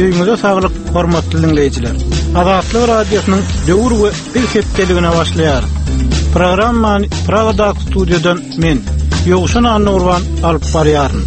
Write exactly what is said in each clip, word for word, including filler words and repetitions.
Öýüňize saglyk, hormatly dinleýjiler. Azatlyk Radiosynyň Döwür we Biz hepdeligine başlaýarys. Programmany Pragadaky studiýadan men, Ýowşan Annagurban alyp barýaryn.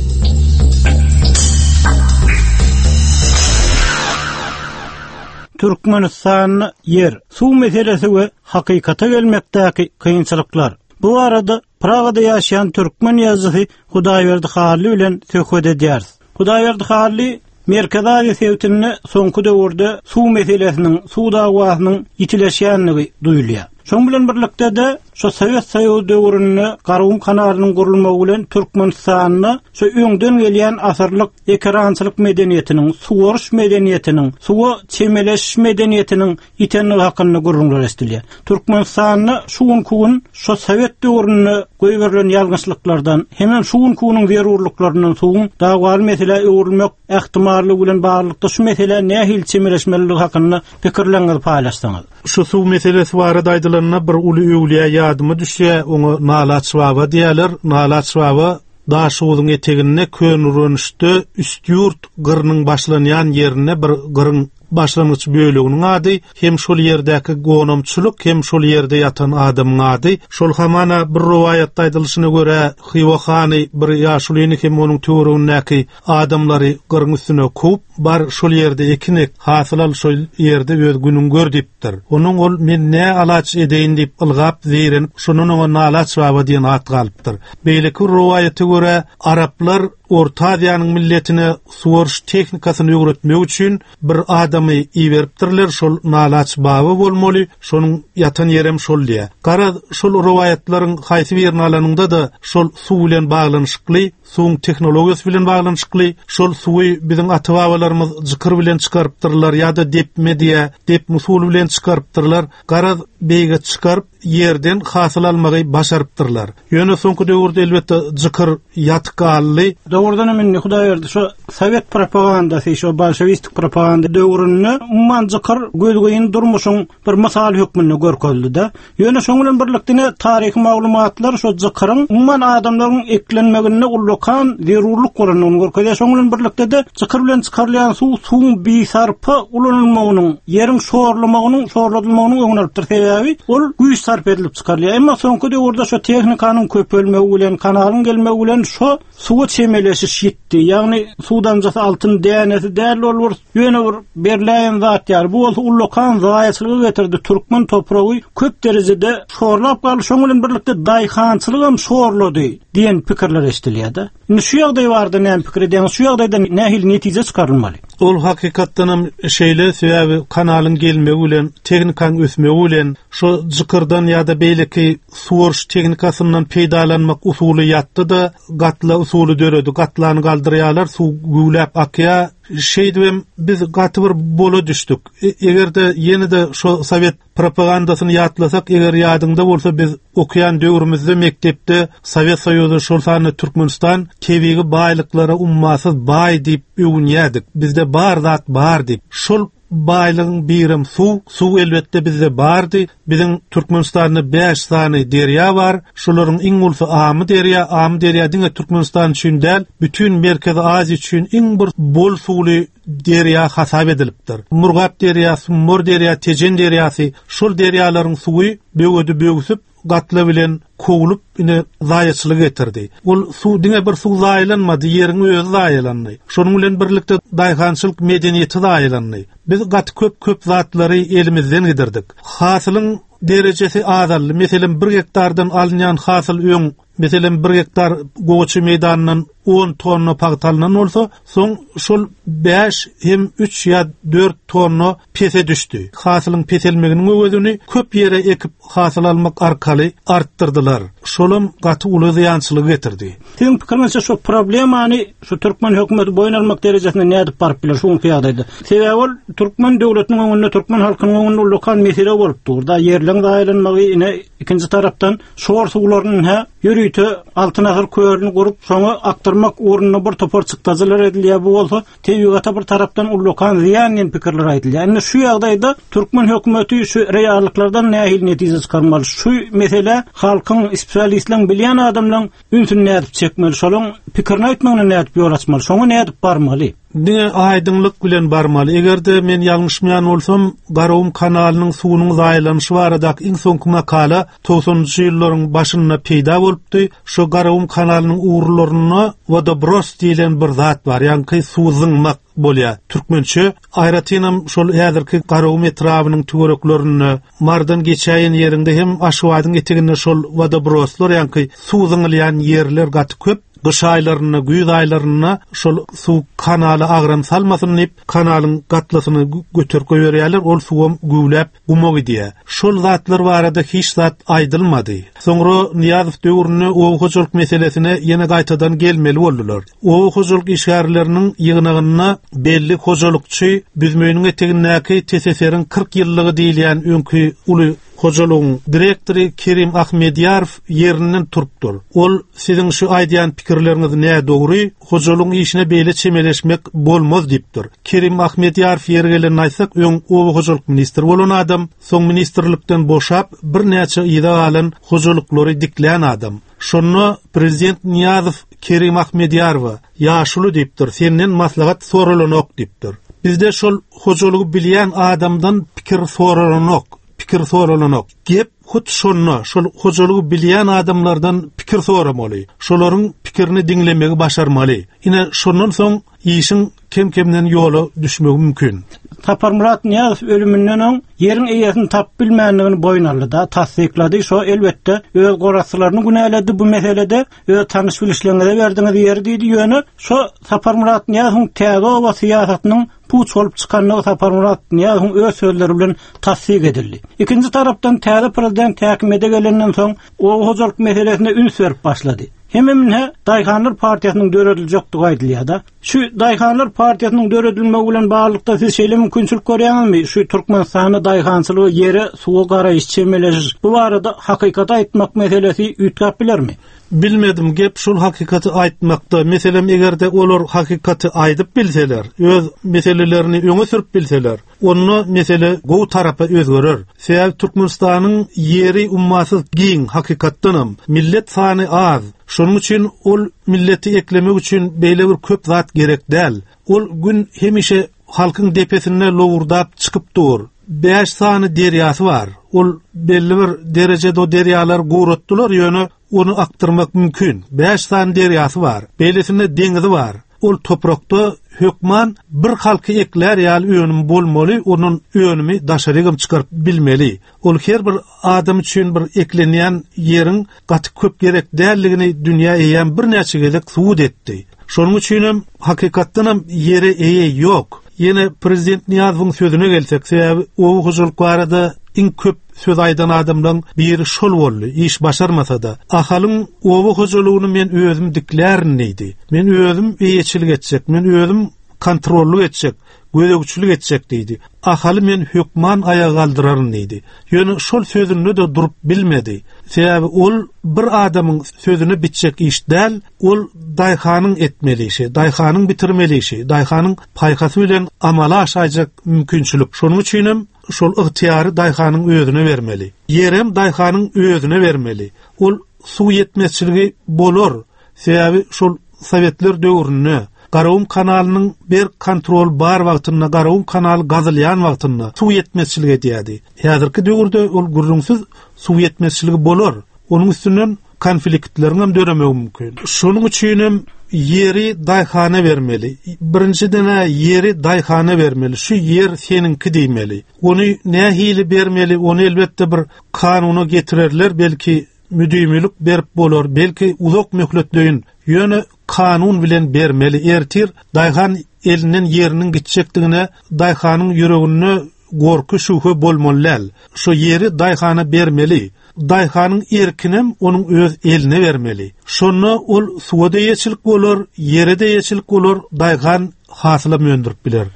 Türkmenistanda ýer, suw meselesi we hakykata gelmekdäki kynçylyklar. Bu arada Pragada ýaşaýan türkmen ýazyjysy Hudaýberdi Hally bilen söhbet edýäris. Hudaýberdi Hally Merkezi Aziýa sebitinde soňky döwürde suw meselesiniň, suw dawasynyň ýitileşýänligi duýulýar. Şoň bilen birlikde de şu Sowet Soýuzy döwründe Garagum kanalynyň gurulmagy bilen Türkmenistanda şu öňden gelýän asyrlyk ekerançylyk medeniýetiniň, suwaryş medeniýetiniň, suwa çemeleşiş medeniýetiniň ýitenligi hakynda gürrüňler eşidilýär. Türkmenistanda şu günkü gün şu Sowet döwründe goýberilen ýalňyşlyklardan, hemem şu günkü günüň zerurlyklaryndan suwuň dawaly meselä öwrülmek ähtimallygy bilen baglylykda şu meselä nähili çemeleşmeliligi hakynda pikirleriňizi paýlaşsaňyz. Şu suw meselesi barada aýdylanda bir uly öwlüýä ýadyma düşýär, oňa Nalaç baba diýerler. Nalaç baba Daşoguzyň eteginde Könürgençde Üstýurt gyrynyň başlanýan ýerinde bir gyryň başlangyç böleginiň ady, hem şol ýerdäki gonamçylyk, hem şol ýerde ýatan adamyň ady. Şol hamana bir rowaýatda aýdylyşyna görä, Hywa hany bir ýaşulyny hem onuň töweregindäki adamlary gyryň üstüne kowup, bar şol ýerde ekin ek, hasyl al şol ýerde öz günüň gör diýipdir. Onuň ol men ne alaç edeýin diýip ylgap zeýrenip, şondan oňa Nalaç baba diýen at galypdyr. Beýleki bir rowaýata görä, araplar Orta Aziýanyň milletine suwaryş tehnikasyny öwretmek üçin bir adamy iberipdirler, şol Nalaç baba bolmaly, şonuň ýatan ýerem şol diýä. Garaz, şol rowaýatlaryň haýsy birini alanyňda da şol suw bilen baglanyşykly, suwuň tehnologiýasy bilen baglanyşykly, şol suwy biziň ata-babalarymyz jykyr bilen çykarypdyrlar ýa-da depme diýä, depme usuly bilen çykarypdyrlar. Garaz, beýge çykaryp ýerden hasyl almagy başarypdyrlar. Ýöne soňky döwürde elbetde jykyr ýatyk galdy. Dogrudan hem indi Hudaýberdi şu Sowet propagandasy, şu bolşewistik propaganda döwründe umuman jykyr gözgyny durmuşyň bir mysal hökmünde görkezildi-de. Ýöne şoň bilen birlikde ine taryhy maglumatlar şu jykyryň umuman adamlaryň eklenmeginde ullakan zerurlyk bolandygyny görkezýär. Şoň bilen birlikde de jykyr bilen çykarylýan suw suwuň bisarpa ulanylmagynyň, ýeriň şorlamagynyň, şorladylmagynyň öňüni alypdyr. Sebäbi ol güýç sarp edilip çykarylýar. Emma soňky döwürde şu tehnikanyň köpelmegi bilen, kanalyň gelmegi bilen şu suwa çemeleşiş ýitdi. Ýagny suw damjasy altyn dänesi däl ol bir ýöne bir berläýen zat ýaly. Bu bolsa ullakan zaýaçylyga getirdi. Türkmen topragy köp derejede şorlap galdy. Şoň bilen birlikde daýhançylyk hem şorlady diýen pikirler eşidilýär-de. Indi şu ýagdaý barada näme pikir edýäňiz? Şu ýagdaýdan nähili netije çykarylmaly? Ol hakykatdan hem şeýle, sebäbi kanalyň gelmegi bilen, tehnikanyň ösmegi bilen şu jykyrdan ýa-da beýleki suwaryş tehnikasyndan peýdalanmak usuly ýatdy-da, gatla usuly döredi. Gatlany galdyrýarlar, suw güwläp akýar. Şeýdibem biz gaty bir bola düşdük. Eger-de ýene-de şu Sowet propagandasyny ýatlasak, eger ýadyňda bolsa biz okuýan döwrümizde mekdepde Sowet Soýuzy, şol sanda Türkmenistan tebigy baýlyklara ummasyz baý diýip öwünýärdik. Bizde bar zat bar diýip. Şol baýlygyň birem suw, suw elbetde bizde bardy. Biziň Türkmenistanda bäş sany derýa bar. Şolaryň iň ulusy Amy derýa. Amy derýa diňe Türkmenistan üçin däl, bütün Merkezi Aziýa üçin iň bir bol suwly derýa hasap edilipdir. Murgap derýasy, Sumbar derýa, Tejen derýasy, şol derýalaryň suwy böwedi böwsüp, gatla bilen kowlup ine zaýaçylyk getirdi. Ol suw diňe bir suw zaýalanmady, ýeriň özi zaýalandy. Şonuň bilen birlikde daýhançylyk medeniýeti zaýalandy. Biz gaty köp-köp zatlary elimizden gidirdik. Hasylyň derejesi azaldy. Meselem, bir gektardan alynýan hasyl öň, meselem, bir gektar gowaça meýdanyndan on tonna pagta alynan bolsa, soň şol bäş hem üç ýa dört tonna pese düşdi. Hasylyň peselmeginiň öwezini köp ýere ekip hasyl almak arkaly artdyrdylar. Şolam gaty uly zyýançylyk getirdi. Siziň pikiriňizçe şu problemany şu türkmen hökümeti boýun almak derejesine nädip baryp biler şu günki ýagdaýda? Sebäbi ol türkmen döwletiniň öňünde, türkmen halkynyň öňünde ullakan mesele bolup dur. Da ýerleň zaýalanmagy, ine ikinji tarapdan şor suwlarynyň hä ýörite Altyn asyr kölüni gurup, şoňa akdyrmak ugrunda bir topar çykdajylar edilýär. Bu bolsa tebigata bir tarapdan ullakan zyýan diýen pikirler aýdylýar. Indi şu ýagdaýda türkmen hökümeti şu reallyklardan nähili netije çykarmaly? Şu mesele halkyň, spesialistleriň, bilýän adamlaryň ünsüni nädip çekmeli? Şolaryň pikirini aýtmagyna nädip ýol açmaly? Şoňa nädip barmaly? Diňe aýdyňlyk bilen barmaly. Eger-de men ýalňyşmaýan bolsam, Garagum kanalynyň suwunyň zaýalanyşy baradaky iň soňky makala togsanynjy ýyllaryň başynda peýda bolupdy. Şu Garagum kanalynyň ugurlarynda wodobros diýlen bir zat bar, ýagny suw zyňmak bolýar. Türkmençe aýratynam şol häzirki Garagum etrabynyň töwereklerinde, Mardan geçäýen ýerinde hem Aşgabadyň eteginde şol wodobroslar, ýagny suw zyňylýan ýerler gaty köp. Gyş aýlarynda, güýz aýlarynda şol suw kanala agram salmasyn diýip, kanalyň gatlasyny göterip goýberýärler, ol suwam güwläp guma gidýär. Şol zatlar barada hiç zat aýdylmady. Soňra Nyýazow döwründe oba hojalyk meselesine ýene gaýtadan gelmeli boldular. Oba hojalyk işgärleriniň ýygnagynda belli hojalykçy Büzmeýiniň etegindäki T S S R-iň kyrk ýyllygy diýilýän öňki uly hojalygyň direktory Kerim Ahmedýarow ýerinden turupdyr. Ol siziň şu aýdýan pikirleriňiz nädogry, hojalygyň işine beýle çemeleşmek bolmaz diýipdir. Kerim Ahmedýarow ýeri gelenini aýtsak, öň oba hojalyk ministri bolan adam, soň ministrlikden boşap birnäçe yza galan hojalyklary diklän adam. Şonda prezident Nyýazow Kerim Ahmedýarowa ýaşuly diýipdir, senden maslahat soralanok diýipdir. Bizde şol hojalygy bilýän adamdan pikir soralanok, pikir soralanok. Gep hut şonda, şol hojalygy bilýän adamlardan pikir soramaly. Şolaryň pikirini diňlemegi başarmaly. Ine şondan soň işiň kem-kemden ýola düşmegi mümkin. Saparmyrat Nyýazow ölüminden öň ýeriň eýesini tap bilmändigini boýun aldy da, tassyklady. Şo elbetde öz gorasylaryny günäledi bu meselede, öz tanyş bilişleriňize berdiňiz ýeri diýdi. Ýöne şo Saparmyrat Nyýazowyň täze oba syýasatynyň puç bolup çykanlygy Saparmyrat Nyýazowyň öz sözleri bilen tassyk edildi. Ikinji tarapdan täze prezident häkimiýete gelenden soň oba hojalyk meselesine üns berip başlady. Hemem ine Daýhanlar partiýasynyň dörediljekdigi aýdylýar da. Şu Daýhanlar partiýasynyň döredilmegi bilen baglylykda siz şeýle mümkinçilik görýäňizmi? Şu Türkmenistanda daýhançylygy ýere, suwa garaýyş, çemeleşiş bu barada hakykaty aýtmak meselesi üýtgäp bilermi? Bilmedim, gep şol hakykaty aýtmakda. Meselem, eger-de olar hakykaty aýdyp bilseler, öz meselelerini öňe sürüp bilseler, onda mesele gowy tarapa özgerer. Sebäbi Türkmenistanyň ýeri ummasyz giň, hakykatdanam millet sany az. Şonuň üçin ol milleti eklemek üçin beýle bir köp zat gerek däl. Ol gün hemişe halkyň depesinde lowurdap çykyp dur. Bäş sany derýasy bar. Ol belli bir derejede o derýalar guratdylar, ýöne onu akdyrmak mümkin. Bäş sany derýasy bar. Beýlesinde deňizi bar. Ol toprakda hökman bir halky eklär ýaly önüm bolmaly, onuň önümi daşarygam çykaryp bilmeli. Ol her bir adam üçin bir eklenýän ýeriň gaty köp gerek dälligini dünýä eýän birnäçe gezek subut etdi. Şonuň üçin hem hakykatdan hem ýere eýe ýok. Ýene prezident Nyýazowyň sözüne gelsek, sebäbi oba hojalyk barada iň köp söz aýdan adamlaryň biri şol boldy, iş başarmasa da. Ahalyň oba hojalygyny men özüm diklärin diýdi. Men özüm eýeçilik etjek, men özüm kontrollyk etjek, gözegçilik etjek diýdi. Ahaly men hökman aýaga galdyraryn diýdi. Ýöne şol sözünde de durup bilmedi. Sebäbi ol bir adamyň sözüne bitjek iş däl, ol daýhanyň etmeli işi, daýhanyň bitirmeli işi, daýhanyň paýhasy bilen amala aşaýjak mümkinçilik. Şonuň üçin hem şol ygtyýary daýhanyň özüne bermeli. Ýerem daýhanyň özüne bermeli. Ol suw ýetmezçiligi bolar. Sebäbi şol Sowetler döwründe Garagum kanalynyň bir kontrol bar wagtynda, Garagum kanaly gazylýan wagtynda suw ýetmezçilik edýärdi. Häzirki döwürde ol gürrüňsiz suw ýetmezçiligi bolar. Onuň üstünden konfliktleriň hem döremegi mümkin. Şonuň üçin hem ýeri daýhana bermeli. Birinjiden ýeri daýhana bermeli. Şu ýer seniňki diýmeli. Ony nähili bermeli? Ony elbetde bir kanuna getirerler, belki müdimilik berip bolar, belki uzak möhletleýin. Ýöne kanun bilen bermeli. Ertir daýhan elinden ýeriniň gitjekdigine daýhanyň ýüreginde gorky şübhe bolmaly däl. Şu ýeri daýhana bermeli. Daýhanyň erkinem onuň öz eline bermeli. Şonda ol suwa da eýeçilik bolar, ýere de eýeçilik bolar, daýhan hasyla öndürip biler.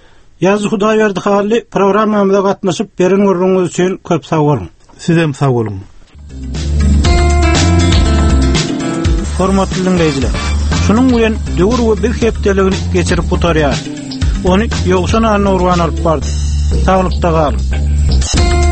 Ýazyjy Hudaýberdi Hally programmamyza gatnaşyp beren gürrüňiz üçin köp sag boluň. Sizem sag boluň. Hormatly dinleýjiler, şunuň bilen döwür we biz hepdeligini geçirip gutarýar. Ony Ýowşan Anna Urban alyp bardy. Saglykda galyň.